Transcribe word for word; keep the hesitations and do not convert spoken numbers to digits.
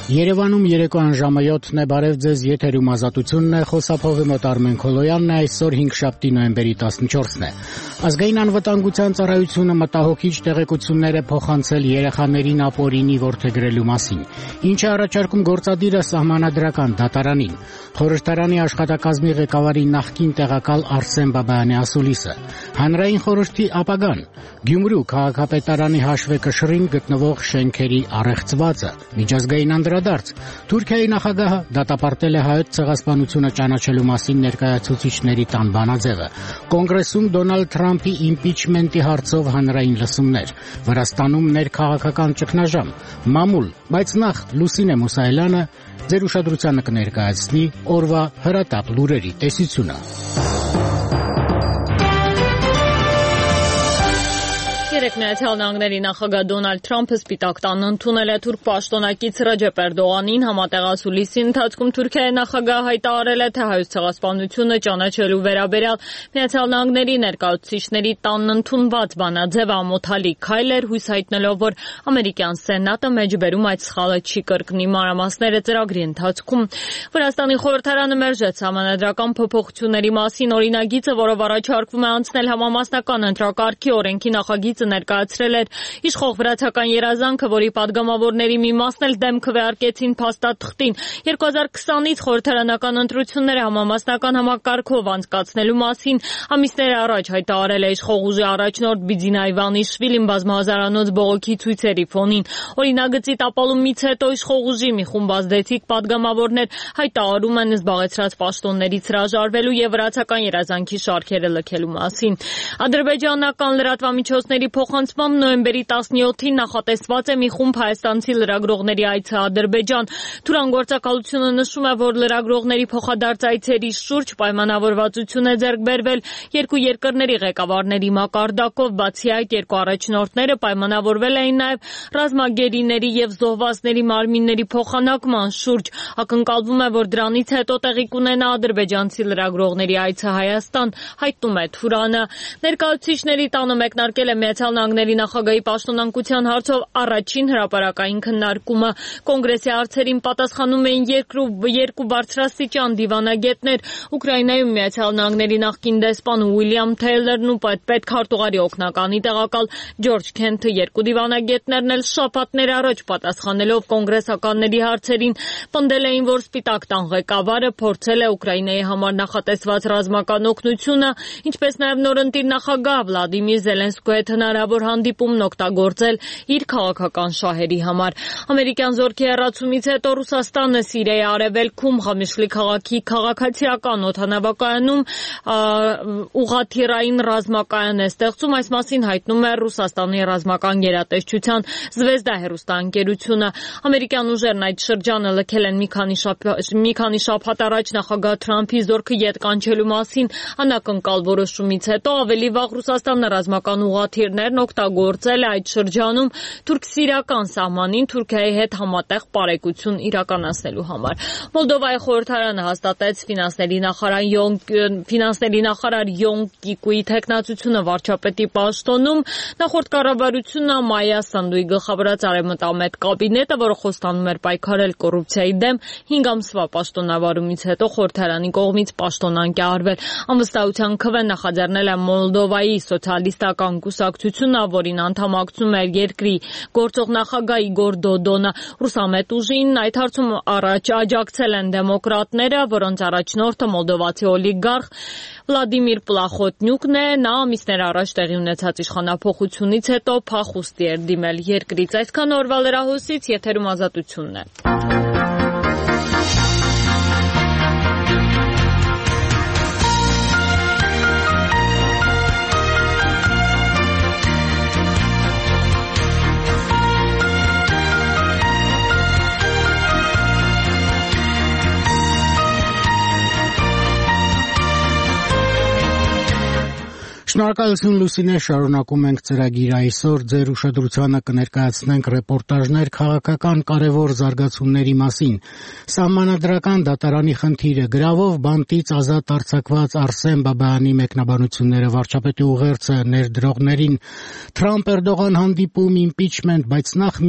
Երևանում երեկոյան ժամը յոթն է, բարև ձեզ, եթերում Ազատությունն է, խոսափողի մոտ Արմեն Քոլոյանն է, այսօր հինգշաբթի նոյեմբերի տասնչորսն է։ Ազգային անվտանգության ծառայությունը մտահոգիչ տեղեկություններ է փոխանցել երեխաներին ապօրինի որդեգրելու մասին, ինչը առաջարկում գործադիրը Սահմանադրական դատարանին։ Խորհրդարանի աշխատակազմի ղեկավարի նախկին տեղակալ Արսեն Բաբայանի ասուլիսը։ Հանրային խորհրդի ապագան։ Գյումրու քաղաքապետարանի հաշվեկշռին գտնվող շենքերի առեղծվածը։ Միջազգային անդրադարձ։ Թուրքիայի նախագահը դատապարտել է հայոց ցեղասպանությունը ճանաչելու մասին ներկայացուցիչների տան բանաձևը։ Կոնգրեսում Դոնալդ Թրամփի իմպիչմենտի հարցով հանրային լսումներ։ Վրաստանում ներքաղաքական ճգնաժամ։ Մամուլ, բայց նախ Լուսինե Մուսայելյանը ձեր ուշադրությանը կներկայացնի օրվա հրատապ լուրերի տեսությունը։ Միացյալ Նահանգների նախագահ Դոնալդ Թրամփը Սպիտակ տանը ընդունել է թուրք պաշտոնակից Ռեջեփ Էրդողանին համատեղ ասուլիսի ընթացքում Թուրքիայի նախագահը հայտարարել է, թե հայոց ցեղասպանությունը ճանաչելու վերաբերյալ Միացյալ Նահանգների ներկայացուցիչների տանն ընդունված բանաձևը ամոթալի քայլ էր, հույս հայտնելով, որ ամերիկյան սենատը մեջբերում այդ սխալը չի կրկնի։ Մանրամասները ծրագրի ընթացքում Վրաստանի խորհրդարանը մերժեց Սահմանադրական փոփոխությունների մասին օրինագիծը, որով առաջարկվում է անցնել համամասնական ընտրակարգի օրենքի նախագիծը ներկայացրել էր իշխող վրացական երազանքը, որի падգամավորների մի մասն էլ դեմ քվեարկեցին փաստաթղթին։ երկու հազար քսանից խորհրդարանական ընտրությունները համամասնական համակարգով անցկացնելու մասին ամիսներ առաջ հայտարարել է իշխող ուժի առաջնորդ Բիձինա Իվանիշվիլին բազմահազարանոց բողոքի ցույցերի ֆոնին։ Օրինագծի տապալումից հետո իշխող ուժի մի խումբ ազդեցիկ падգամավորներ հայտարարում են զբաղեցրած պաշտոններից հրաժարվելու եւ վրացական երազանքի շարքերը լքելու մասին։ Ադրբեջանական լրատվամիջոցների փոխանցմամբ նոյեմբերի տասնյոթին նախատեսված է մի խումբ հայաստանցի լրագրողների այցը Ադրբեջան։ Թուրան գործակալությունը նշում է, որ լրագրողների փոխադարձ այցերի շուրջ պայմանավորվածություն է ձեռք բերվել երկու երկրների ղեկավարների մակարդակով։ Բացի այդ, երկու առաջնորդները պայմանավորվել էին նաև ռազմագերիների եւ զոհվածների մարմինների փոխանակման շուրջ։ Ակնկալվում է, որ դրանից հետո տեղի կունենա ադրբեջանցի լրագրողների այցը Հայաստան, հայտնում է Թուրանը։ Ներկայացուցիչների տանը մեկնարկել է Միացյալ Նահանգների նախագահի պաշտոնանկության հարցով առաջին հրապարակային քննարկումը։ Կոնգրեսի հարցերին պատասխանում էին երկու բարձրաստիճան դիվանագետներ՝ Ուկրաինայում Միացյալ Նահանգների նախկին դեսպան Ուիլյամ Թեյլերն ու պետքարտուղարի օգնականի տեղակալ Ջորջ Քենթը։ Երկու դիվանագետներն էլ շաբաթներ առաջ պատասխանելով կոնգրեսականների հարցերին պնդել էին, որ Սպիտակ տան ղեկավարը փորձել է Ուկրաինայի համար նախատեսված ռազմական օգնությունը, ինչպես նաև նորընտիր նախագահ Վլադիմիր Զելենսկու հետ հնարավոր հանդիպումն օգտագործել իր քաղաքական շահերի համար։ Ամերիկյան զորքի հեռացումից հետո Ռուսաստանը Սիրիայի արևելքում Ղամիշլի քաղաքի քաղաքացիական օդանավակայանում ուղղաթիռային ռազմակայան է ստեղծում։ Այս մասին հայտնում է Ռուսաստանի ռազմական գերատեսչության Զվեզդա հեռուստաընկերությունը։ Ամերիկյան ուժերն այդ շրջանը լքել են մի քանի շաբաթ մի քանի շաբաթ առաջ նախագահ Թրամփի զորքը ետ կանչելու մասին անակնկալ որոշումից հետո ավելի վաղ Ռուսաստանը ռազմական ուղղաթիռներն օգտագործել է այդ շրջանում թուրք-սիրիական սահմանին Թուրքիայի հետ համատեղ պարեկություն իրականացնելու համար։ Մոլդովայի խորհրդարանը հաստատեց ֆինանսների նախարար ֆինանսների նախարար Յոն Կիկուի թեկնածությունը վարչապետի պաշտոնում։ Նախորդ կառավարությունը Մայա Սանդուի գլխավորած արևմտամետ կաբինետը, որը խոստանում էր պայքարել կոռուպցիայի դեմ, հինգ ամսվա պաշտոնավարումից հետո խորհրդարանի կողմից պաշտոնանկ է արվել։ Անվստահության քվեն նախաձեռնել է Մոլդովայի սոցիալիստական կուսակցությունը, որին անդամակցում է երկրի գործող նախագահ Իգոր Դոդոնը։ Ռուսամետ ուժին այդ հարցում առաջ աջակցել են դեմոկրատները, որոնց առաջնորդը մոլդովացի օլիգարխ Վլադիմիր Պլախոտնյուկն է։ Նա ամիսներ առաջ տեղի ունեցած իշխանափոխությունից հետո փախուստի էր դիմել երկրից։ Այսքան օրվա լրահոսից, եթերում Ազատությունն է։ Շնորհակալություն Լուսինե, շարունակում ենք ծրագիրը այսօր ձեր ուշադրությանը կներկայացնենք ռեպորտաժներ քաղաքական կարևոր զարգացումների մասին։ Սահմանադրական դատարանի խնդիրը, գրավով բանտից ազատ արձակված Արսեն Բաբայանի մեկնաբանությունները, վարչապետի ուղերձը ներդրողներին, Թրամփ-Էրդողան հանդիպում, իմպիչմենտ, բայց նախ